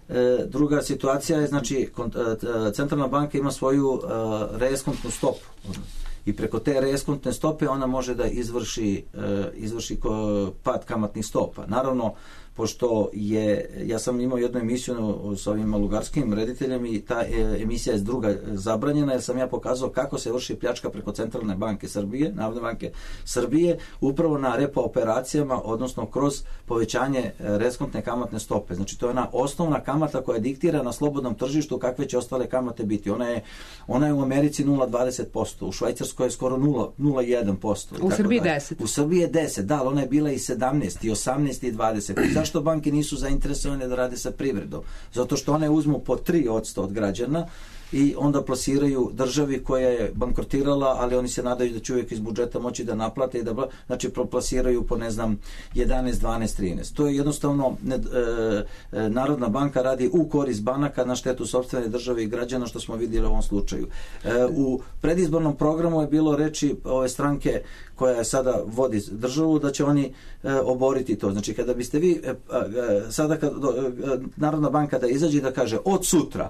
E, druga situacija je, znači, Centralna banka ima svoju e, reeskontnu stopu i preko te reeskontne stope ona može da izvrši, e, izvrši ko, pad kamatnih stopa. Naravno, pošto je, ja sam imao jednu emisiju s ovim lugarskim rediteljem i ta emisija je druga zabranjena, jer sam ja pokazao kako se vrši pljačka preko Centralne banke Srbije, Narodne banke Srbije, upravo na repo operacijama, odnosno kroz povećanje reeskontne kamatne stope. Znači, to je ona osnovna kamata koja diktira na slobodnom tržištu kakve će ostale kamate biti. Ona je, ona je u Americi nula zarez dvadeset posto, u Švajcarskoj je skoro nula zarez jedan posto. U Srbiji deset. U Srbiji je deset, da, ali ona je bila i sedamnaest, i osamnaest, i dvadeset. Zašto banke nisu zainteresovane da rade sa privredom? Zato što one uzmu po tri posto od građana i onda plasiraju državi koja je bankrotirala, ali oni se nadaju da će uvijek iz budžeta moći da naplate i da, znači, plasiraju po, ne znam, jedanaest, dvanaest, trinaest. To je jednostavno, ne, e, Narodna banka radi u korist banaka na štetu sopstvene države i građana, što smo vidjeli u ovom slučaju. E, u predizbornom programu je bilo reči ove stranke koja je sada vodi državu, da će oni e, oboriti to. Znači, kada biste vi e, e, sada kad, e, Narodna banka da izađe i da kaže od sutra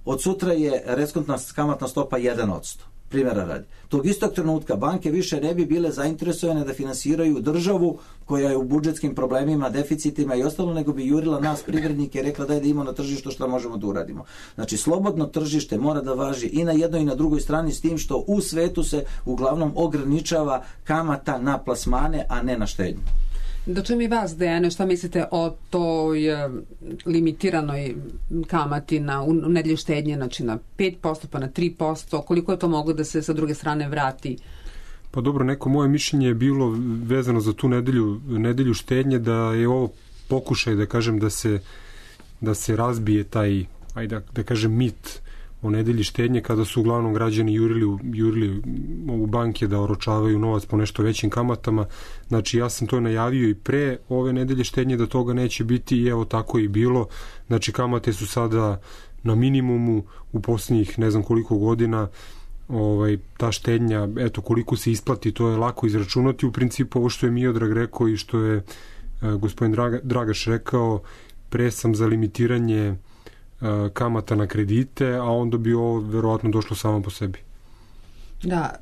Od sutra je reeskontna kamatna stopa jedan posto. Primjera radi. Tog istog trenutka banke više ne bi bile zainteresovane da finansiraju državu koja je u budžetskim problemima, deficitima i ostalo, nego bi jurila nas privrednike i rekla daj da imamo na tržištu šta možemo da uradimo. Znači, slobodno tržište mora da važi i na jednoj i na drugoj strani, s tim što u svetu se uglavnom ograničava kamata na plasmane, a ne na štednju. Do čem i vas, Dejane, šta mislite o toj e, limitiranoj kamati na u nedelju štednje, znači na pet posto pa na tri posto, koliko je to moglo da se sa druge strane vrati? Pa dobro, neko moje mišljenje je bilo vezano za tu nedelju, nedelju štednje, da je ovo pokušaj, da kažem, da se, da se razbije taj, ajde da, da kažem, mit o nedelji štednje, kada su uglavnom građani jurili, jurili u banke da oročavaju novac po nešto većim kamatama. Znači, ja sam to najavio i pre ove nedelje štednje da toga neće biti i evo tako i bilo. Znači, kamate su sada na minimumu u posljednjih ne znam koliko godina. Ovaj, ta štednja, eto koliko se isplati, to je lako izračunati. U principu ovo što je Miodrag rekao i što je uh, gospodin Draga, Dragaš rekao, pre sam za limitiranje kamata na kredite, a onda bi ovo verovatno došlo samo po sebi. Da,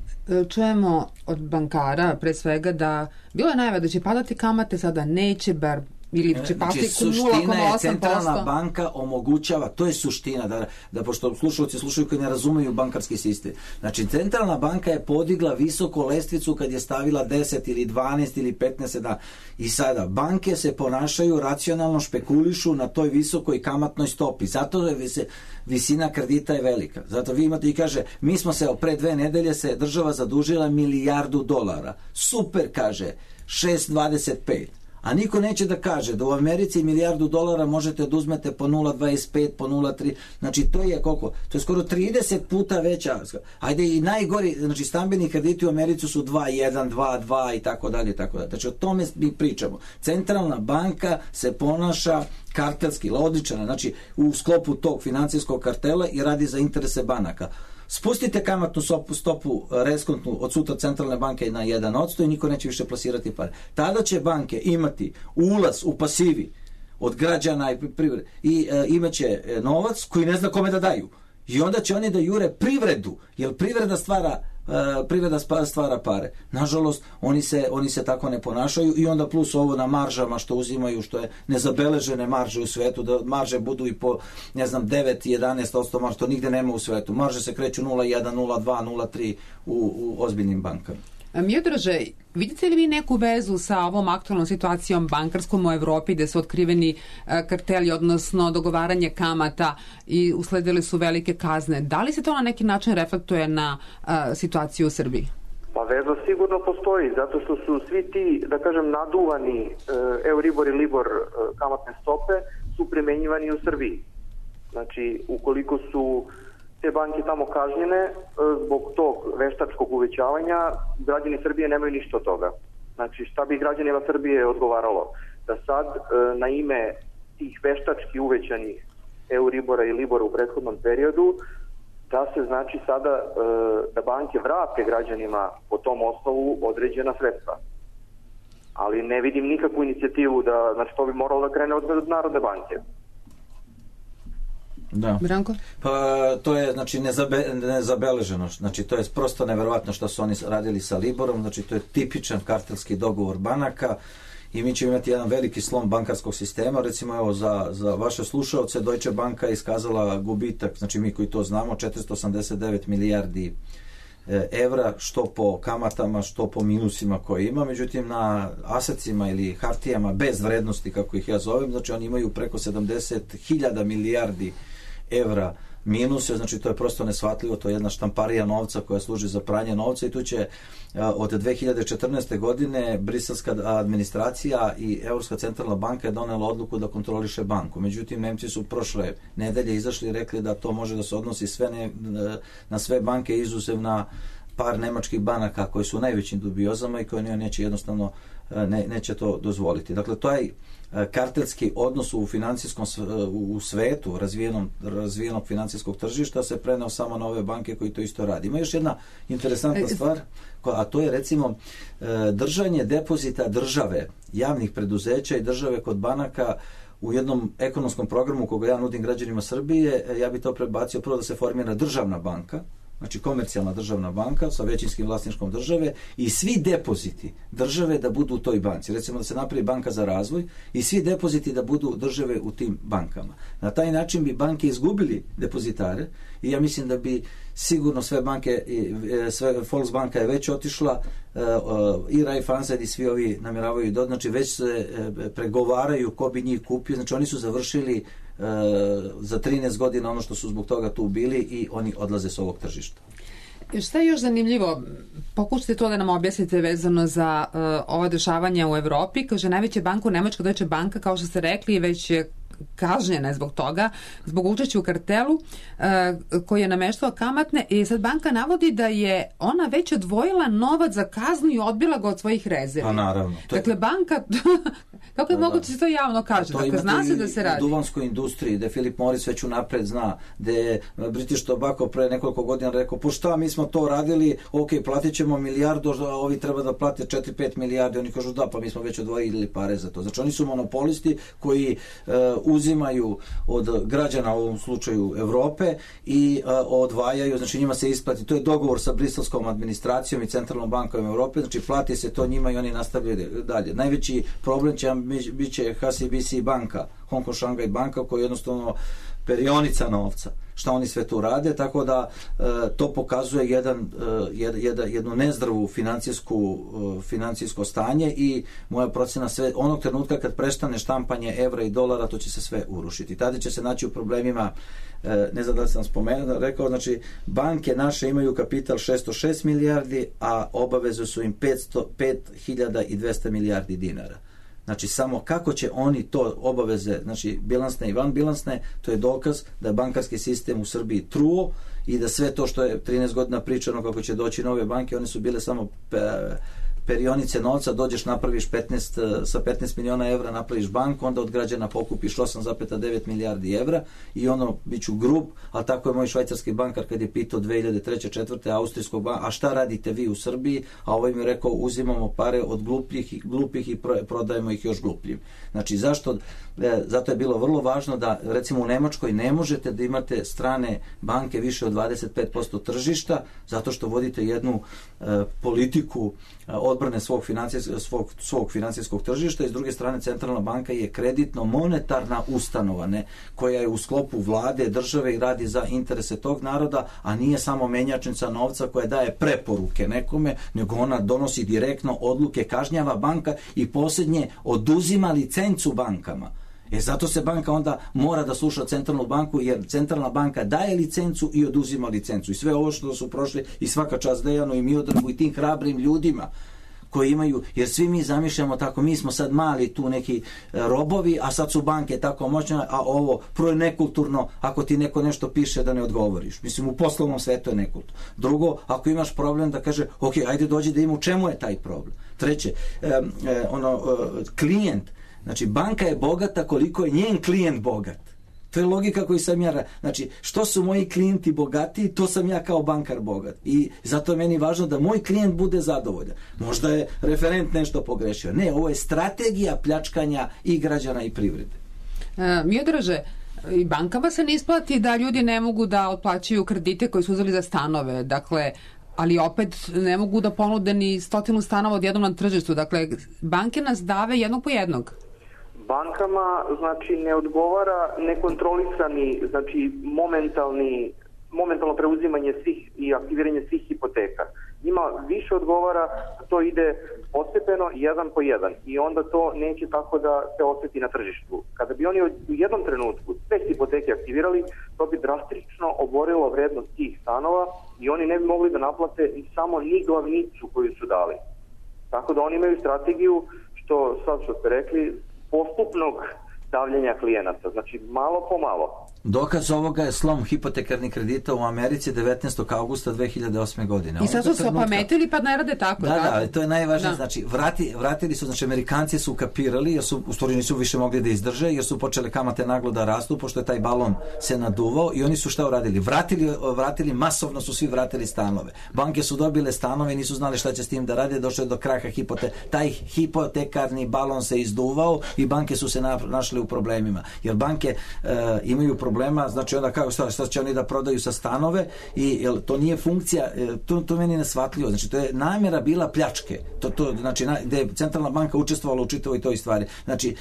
Čujemo od bankara pre svega da bilo je najava da će padati kamate, sada neće, bar ili će pasti znači, nula zarez osam posto. Centralna banka omogućava, to je suština, da, da pošto slušalci slušaju koji ne razumeju bankarski sistem. Znači, centralna banka je podigla visoko lestvicu kad je stavila deset ili dvanaest ili petnaest da. I sada, banke se ponašaju racionalno, špekulišu na toj visokoj kamatnoj stopi. Zato je vis, visina kredita je velika. Zato vi imate i kaže, mi smo se pre dve nedelje se država zadužila milijardu dolara. Super, kaže, šest zarez dvadeset pet. A niko neće da kaže da u Americi milijardu dolara možete da uzmete po nula zarez dvadeset pet, po nula zarez tri. Znači, to je koliko? To je skoro trideset puta veća. Ajde, i najgori, znači, stambeni krediti u Americi su dva zarez jedan, dva zarez dva i tako dalje, i tako dalje. Znači, o tome mi pričamo. Centralna banka se ponaša kartelski, odličana, znači, u sklopu tog financijskog kartela i radi za interese banaka. Spustite kamatnu stopu, stopu reskontnu od sutra centralne banke na jedan posto i niko neće više plasirati pare. Tada će banke imati ulaz u pasivi od građana i privrede i e, imaće novac koji ne zna kome da daju. I onda će oni da jure privredu, jer privreda stvara Uh, privreda stvara pare. Nažalost, oni se, oni se tako ne ponašaju i onda plus ovo na maržama što uzimaju, što je nezabeležene marže u svetu, da marže budu i po, ne znam, devet, jedanaest posto marže, to nigde nema u svetu. Marže se kreću nula zarez jedan, nula zarez dva, nula zarez tri u, u ozbiljnim bankama. Miodraže, vidite li vi neku vezu sa ovom aktualnom situacijom bankarskom u Evropi gde su otkriveni karteli, odnosno dogovaranje kamata i usledile su velike kazne? Da li se to na neki način reflektuje na a, situaciju u Srbiji? Pa veza sigurno postoji, zato što su svi ti, da kažem, naduvani e, Euribor i Libor e, kamatne stope su primenjivani u Srbiji. Znači, ukoliko su te banke tamo kažnjene zbog tog veštačkog uvećavanja, građani Srbije nemaju ništa od toga. Znači, šta bi građanima Srbije odgovaralo? Da sad na ime tih veštački uvećanih Euribora i Libora u prethodnom periodu, da se znači sada da banke vrate građanima po tom osnovu određena sredstva. Ali ne vidim nikakvu inicijativu da, znači to bi moralo da krene od Narodne banke. Da. Branko? Pa to je znači nezabe, nezabeleženo, znači to je prosto neverovatno što su oni radili sa Liborom, znači to je tipičan kartelski dogovor banaka i mi ćemo imati jedan veliki slom bankarskog sistema. Recimo, evo, za, za vaše slušaoce, Deutsche Banka je iskazala gubitak, znači mi koji to znamo, četiristo osamdeset devet milijardi evra, što po kamatama, što po minusima koje ima. Međutim, na asecima ili hartijama bez vrednosti, kako ih ja zovem, znači oni imaju preko sedamdeset hiljada milijardi evra minuse, znači to je prosto neshvatljivo, to je jedna štamparija novca koja služi za pranje novca i tu će od dve hiljade četrnaeste. godine briselska administracija i Evropska centralna banka je donela odluku da kontroliše banku. Međutim, Nemci su prošle nedelje izašli i rekli da to može da se odnosi sve ne, na sve banke izuzev na par nemačkih banaka koji su u najvećim dubiozama i koje neće jednostavno ne, neće to dozvoliti. Dakle, to je kartelski odnos u financijskom u svetu razvijenom, razvijenog financijskog tržišta se preneo samo na ove banke koji to isto radi. Ima još jedna interesantna stvar, a to je recimo držanje depozita države, javnih preduzeća i države kod banaka u jednom ekonomskom programu koga ja nudim građanima Srbije. Ja bi to prebacio prvo da se formira državna banka, znači komercijalna državna banka sa većinskim vlasništvom države i svi depoziti države da budu u toj banci. Recimo da se napravi banka za razvoj i svi depoziti da budu države u tim bankama. Na taj način bi banke izgubili depozitare i ja mislim da bi sigurno sve banke, sve Volksbanka je već otišla i Raiffeisen i svi ovi namjeravaju da, znači već se pregovaraju ko bi njih kupio, znači oni su završili za trinaest godina ono što su zbog toga tu bili i oni odlaze s ovog tržišta. Šta je još zanimljivo? Pokušajte to da nam objasnite vezano za uh, ova dešavanja u Evropi. Kaže, najveća banka u Nemačkoj, Deutsche Banka, kao što ste rekli, već je kažnjena zbog toga, zbog učešća u kartelu uh, koji je nameštao kamatne i sad banka navodi da je ona već odvojila novac za kaznu i odbila ga od svojih rezervi. Pa naravno. To je... Dakle, banka, kako je da, moguće se to javno kaže? To dakle, zna se da se radi. U duvanskoj industriji, da Philip Morris već unapred zna, da je British Tobacco pre nekoliko godina rekao, po šta mi smo to radili, ok, platit ćemo milijardu, ovi treba da plate četiri pet milijardi, oni kažu da, pa mi smo već odvojili pare za to. Znači oni su monopolisti koji uh, uzimaju od građana, u ovom slučaju Evrope, i uh, odvajaju, znači njima se isplati, to je dogovor sa briselskom administracijom i centralnom bankom Evrope, znači plati se to njima i oni nastavljaju dalje. Najveći problem će bit će H S B C banka, Hong Kong Shanghai banka, koja je jednostavno perionica novca, šta oni sve tu rade, tako da e, to pokazuje jedan, e, jed, jed, jednu nezdravu financijsku, e, financijsko stanje, i moja procena, sve onog trenutka kad prestane štampanje evra i dolara, to će se sve urušiti. Tada će se naći u problemima, e, ne znam da li sam spomenuo, rekao, znači banke naše imaju kapital šesto šest milijardi, a obaveze su im petsto pet hiljada dvesta milijardi dinara. Znači, samo kako će oni to obaveze, znači bilansne i vanbilansne, to je dokaz da je bankarski sistem u Srbiji truo i da sve to što je trinaest godina pričano kako će doći nove banke, one su bile samo perionice novca, dođeš, napraviš petnaest, sa petnaest miliona evra napraviš banku, onda od građana pokupiš osam zarez devet milijardi evra i ono, bit ću grub, ali tako je moj švajcarski bankar kad je pitao dve hiljade treće četvrte austrijskog banka, a šta radite vi u Srbiji, a ovaj mi je rekao, uzimamo pare od glupljih, glupih i prodajemo ih još glupljim. Znači, zašto? E, zato je bilo vrlo važno da, recimo, u Nemačkoj ne možete da imate strane banke više od dvadeset pet posto tržišta, zato što vodite jednu e, politiku e, odbrane svog, svog, svog financijskog tržišta, i s druge strane centralna banka je kreditno-monetarna ustanova, ne, koja je u sklopu vlade, države i radi za interese tog naroda, a nije samo menjačnica novca koja daje preporuke nekome, nego ona donosi direktno odluke, kažnjava banka i posljednje oduzima licencu bankama. E zato se banka onda mora da sluša centralnu banku, jer centralna banka daje licencu i oduzima licencu. I sve ovo što su prošli, i svaka čast Dejanu i Miodragu i tim hrabrim ljudima koji imaju, jer svi mi zamišljamo tako, mi smo sad mali tu neki robovi, a sad su banke tako moćne, a ovo prvo je nekulturno ako ti neko nešto piše da ne odgovoriš. Mislim, u poslovnom svetu je nekulturno. Drugo, ako imaš problem da kaže, ok, ajde dođi da im u čemu je taj problem. Treće, e, e, ono, e, klijent, znači banka je bogata koliko je njen klijent bogat. To je logika koju sam ja, znači što su moji klijenti bogati, to sam ja kao bankar bogat. I zato je meni važno da moj klijent bude zadovoljan. Možda je referent nešto pogrešio. Ne, ovo je strategija pljačkanja i građana i privrede. E, Miodraže, i bankama se ne isplati da ljudi ne mogu da otplaćaju kredite koji su uzeli za stanove. Dakle, ali opet ne mogu da ponude ni stotinu stanova odjednom na tržištu. Dakle, banke nas dave jednog po jednog. Bankama, znači, ne odgovara nekontrolisani, znači, momentalni, momentalno preuzimanje svih i aktiviranje svih hipoteka. Njima više odgovara, to ide postepeno, jedan po jedan, i onda to neće tako da se osjeti na tržištu. Kada bi oni u jednom trenutku sve hipoteke aktivirali, to bi drastično oborilo vrednost tih stanova i oni ne bi mogli da naplate samo ni glavnicu koju su dali. Tako da oni imaju strategiju, što sad što ste rekli, postupnog davljenja klijenata, znači malo po malo. Dokaz ovoga je slom hipotekarnih kredita u Americi devetnaestog avgusta dve hiljade osme godine. I sad su se opametili pa ne rade tako. Da, da, ali to je najvažnije. Da. Znači, vrati, vratili su, znači Amerikanci su ukapirali, jer su, u stvari nisu više mogli da izdrže, jer su počele kamate naglo da rastu, pošto je taj balon se naduvao, i oni su šta uradili? Vratili, vratili, masovno su svi vratili stanove. Banke su dobile stanove i nisu znali šta će s tim da rade, došlo je do kraha hipote. Taj hipotekarni balon se izduvao i banke su se našle u problemima. Jer banke e, imaju problema, znači onda kako šta, šta će oni da prodaju sa stanove, i jel, to nije funkcija, to, to meni nesvatljivo, znači to je namjera bila pljačke, to, to, znači na, gde je centralna banka učestvovala u čitavoj toj stvari. Znači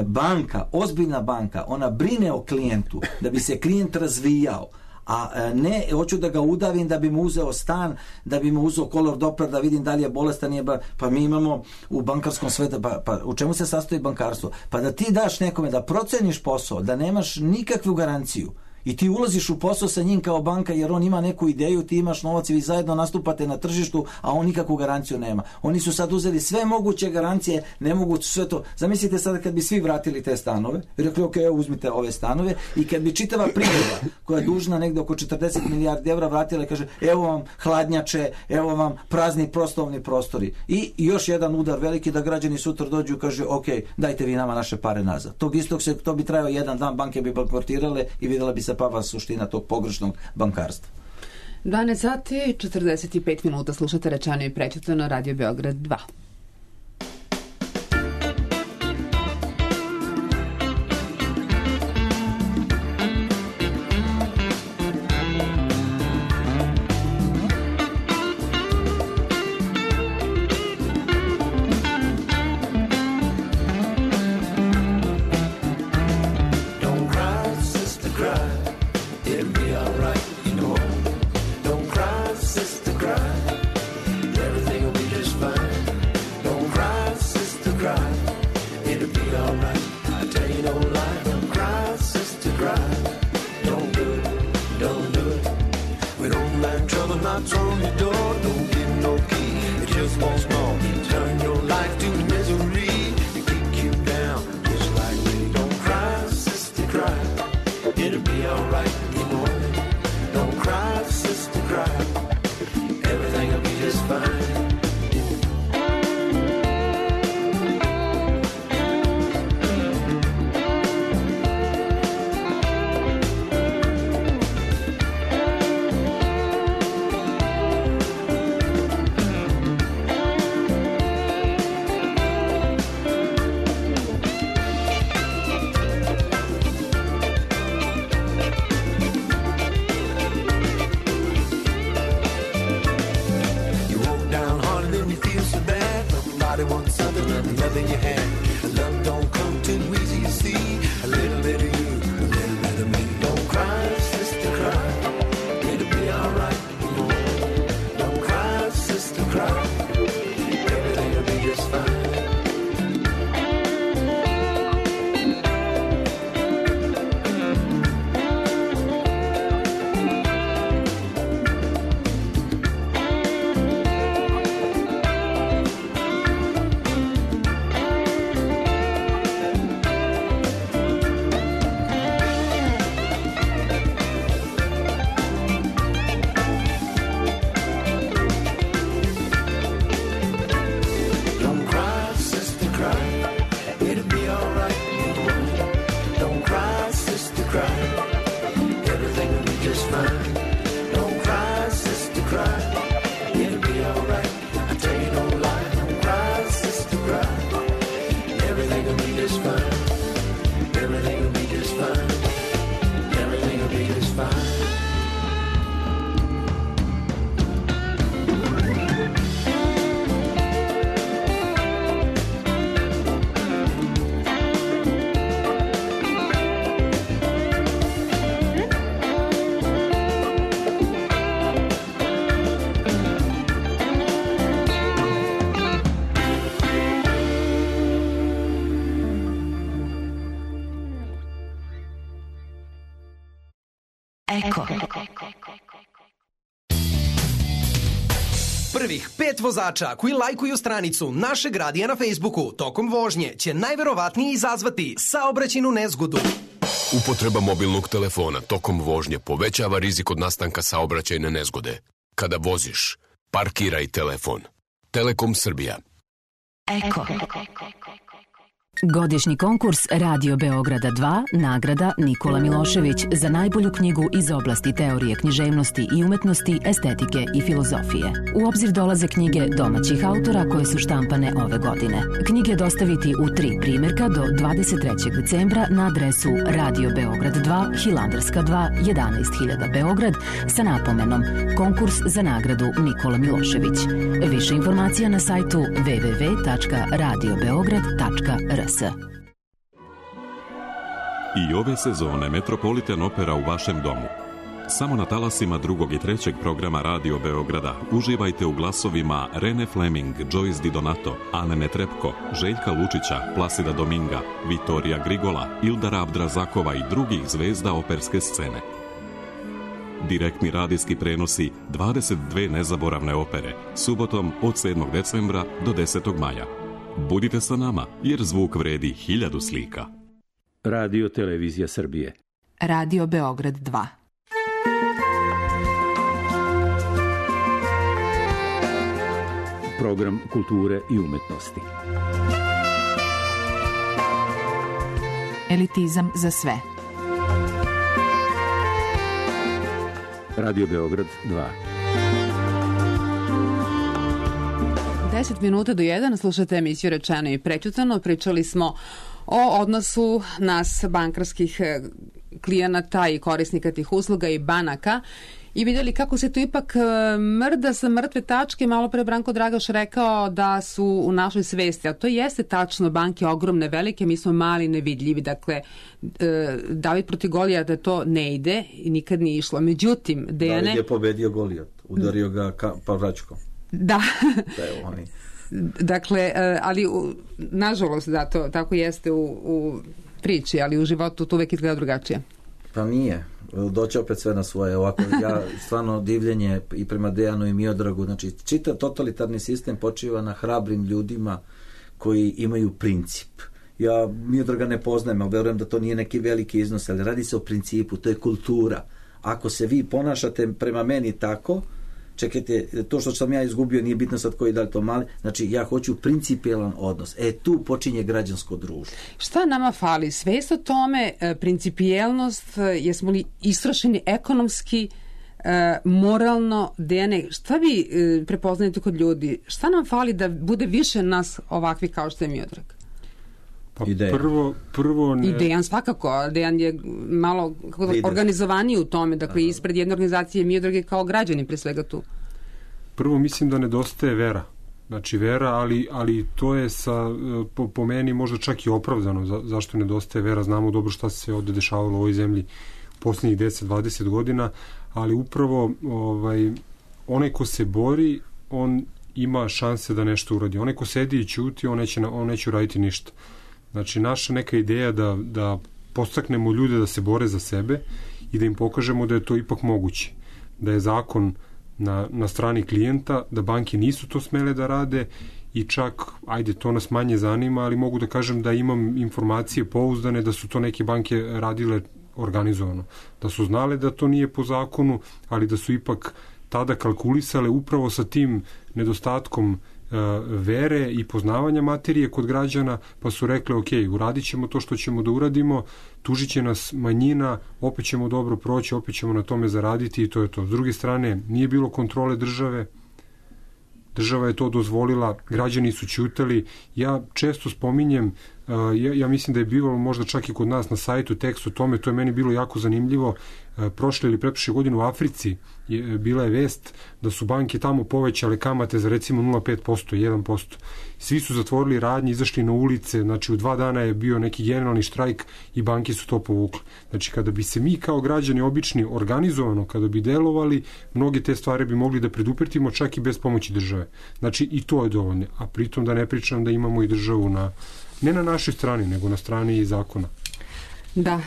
banka, ozbiljna banka, ona brine o klijentu da bi se klijent razvijao, a ne hoću da ga udavim da bi mu uzeo stan, da bi mu uzeo kolor Doppler da vidim da li je bolestan, je ba, pa mi imamo u bankarskom svetu, pa, pa u čemu se sastoji bankarstvo? Pa da ti daš nekome da proceniš posao, da nemaš nikakvu garanciju, i ti ulaziš u posao sa njim kao banka, jer on ima neku ideju, ti imaš novac i vi zajedno nastupate na tržištu, a on nikakvu garanciju nema. Oni su sad uzeli sve moguće garancije, ne mogu sve to. Zamislite sad kad bi svi vratili te stanove, rekli ok, uzmite ove stanove, i kad bi čitava privreda koja je dužna negde oko četrdeset milijardi evra vratila i kaže evo vam hladnjače, evo vam prazni prostovni prostori, i još jedan udar veliki da građani sutra dođu i kaže ok, dajte vi nama naše pare nazad. Tog istog se, to bi trajao jedan dan, banke bi bankrotirale i vidjela bi se pa suština tog pogrešnog bankarstva. dvanaest sati četrdeset pet minuta, slušate Rečeno i Prečitano, Radio Beograd dva. knocks on your door, don't give no key. It just wants more. Turn your life to misery and kick you down just like me. Don't cry, sister, cry. It'll be alright in the morning. Don't cry, sister, cry. Everything'll be just fine. Want something, nothing you had. Love don't come too easy, you see. A little bit of you, a little bit of me. Don't cry, sister, cry. It'll be alright. Don't cry, sister, cry. Everything'll be just fine. Eko. Prvih pet vozača koji lajkuju stranicu našeg radija na Facebooku tokom vožnje će najverovatnije izazvati saobraćajnu nezgodu. Upotreba mobilnog telefona tokom vožnje povećava rizik od nastanka saobraćajne nezgode. Kada voziš, parkiraj telefon. Telekom Srbija. Eko. Godišnji konkurs Radio Beograda dva, nagrada Nikola Milošević za najbolju knjigu iz oblasti teorije književnosti i umetnosti, estetike i filozofije. U obzir dolaze knjige domaćih autora koje su štampane ove godine. Knjige dostaviti u tri primjerka do dvadeset trećeg decembra na adresu Radio Beograd dva, Hilandarska dva, jedanaest hiljada Beograd sa napomenom Konkurs za nagradu Nikola Milošević. Više informacija na sajtu w w w tačka radio beograd tačka r s. I ove sezone Metropolitan Opera u vašem domu. Samo na talasima drugog i trećeg programa Radio Beograda uživajte u glasovima Rene Fleming, Joyce Di Donato, Ane Netrepko, Željka Lučića, Plasida Dominga, Vitorija Grigola, Ildara Abdrazakova i drugih zvezda operske scene. Direktni radijski prenosi dvadeset dve nezaboravne opere, subotom od sedmog decembra do desetog maja. Budite sa nama, jer zvuk vredi hiljadu slika. Radio Televizija Srbije. Radio Beograd dva. Program kulture i umetnosti. Elitizam za sve. Radio Beograd dva. deset minuta do jedan, slušate emisiju Rečeno i prećutano. Pričali smo o odnosu nas bankarskih klijenata i korisnika tih usluga i banaka i vidjeli kako se to ipak mrda sa mrtve tačke. Malo pre Branko Dragaš rekao da su u našoj svesti, a to jeste tačno, banke ogromne, velike, mi smo mali, nevidljivi. Dakle, David protiv Golijata to ne ide i nikad nije išlo. Međutim, Dejane... David je pobedio Golijat, udario ga ka, pavračkom. Da. Da je oni. Dakle, ali nažalost da to tako jeste u, u priči, ali u životu to uvek izgleda drugačije. Pa nije. Doći opet sve na svoje. Ovako, ja stvarno divljenje i prema Dejanu i Miodragu. Znači, čitav totalitarni sistem počiva na hrabrim ljudima koji imaju princip. Ja Miodraga ne poznajem, ali verujem da to nije neki veliki iznos, ali radi se o principu, to je kultura. Ako se vi ponašate prema meni tako, čekajte, to što sam ja izgubio nije bitno sad koji da li to mali, znači ja hoću principijelan odnos. E, tu počinje građansko društvo. Šta nama fali? Svest o tome, principijelnost, jesmo li istrošeni ekonomski, moralno, Dejane, šta vi prepoznajete kod ljudi? Šta nam fali da bude više nas ovakvi kao što je Miodrag? Pa prvo, prvo ne... I Dejan svakako, Dejan je malo organizovaniji u tome, dakle, ispred jedne organizacije Miodrag je kao građanin pre svega tu. Prvo mislim da nedostaje vera. Znači vera, ali, ali to je sa, po, po meni možda čak i opravdano. Za, zašto nedostaje vera? Znamo dobro šta se sve ovde dešavalo u ovoj zemlji posljednjih deset do dvadeset godina, ali upravo ovaj, onaj ko se bori, on ima šanse da nešto uradi. Onaj ko sedi i ćuti, on neće, on neće uraditi ništa. Znači, naša neka ideja da, da podstaknemo ljude da se bore za sebe i da im pokažemo da je to ipak moguće. Da je zakon na, na strani klijenta, da banke nisu to smele da rade i čak, ajde, to nas manje zanima, ali mogu da kažem da imam informacije pouzdane da su to neke banke radile organizovano. Da su znale da to nije po zakonu, ali da su ipak tada kalkulisale upravo sa tim nedostatkom vere i poznavanja materije kod građana, pa su rekli ok, uradit ćemo to što ćemo da uradimo, tužit će nas manjina, opet ćemo dobro proći, opet ćemo na tome zaraditi i to je to. S druge strane, nije bilo kontrole države, država je to dozvolila, građani su ćutali. Ja često spominjem, ja, ja mislim da je bilo možda čak i kod nas na sajtu tekst o tome, to je meni bilo jako zanimljivo. Prošle ili pretprošle godine u Africi je, bila je vest da su banke tamo povećale kamate za recimo nula zarez pet posto, jedan posto. Svi su zatvorili radnje, izašli na ulice, znači u dva dana je bio neki generalni štrajk i banke su to povukle. Znači kada bi se mi kao građani obični organizovano, kada bi delovali, mnoge te stvari bi mogli da preduprtimo čak i bez pomoći države. Znači i to je dovoljno, a pritom da ne pričam da imamo i državu na, ne na našoj strani, nego na strani zakona. Da.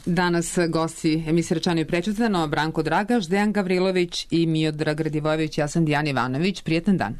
Danas gosti emisije Rečeno i prečitano Branko Dragaš, Dejan Gavrilović i Miodrag Radivojević. Ja sam Dijana Ivanović. Prijetan dan.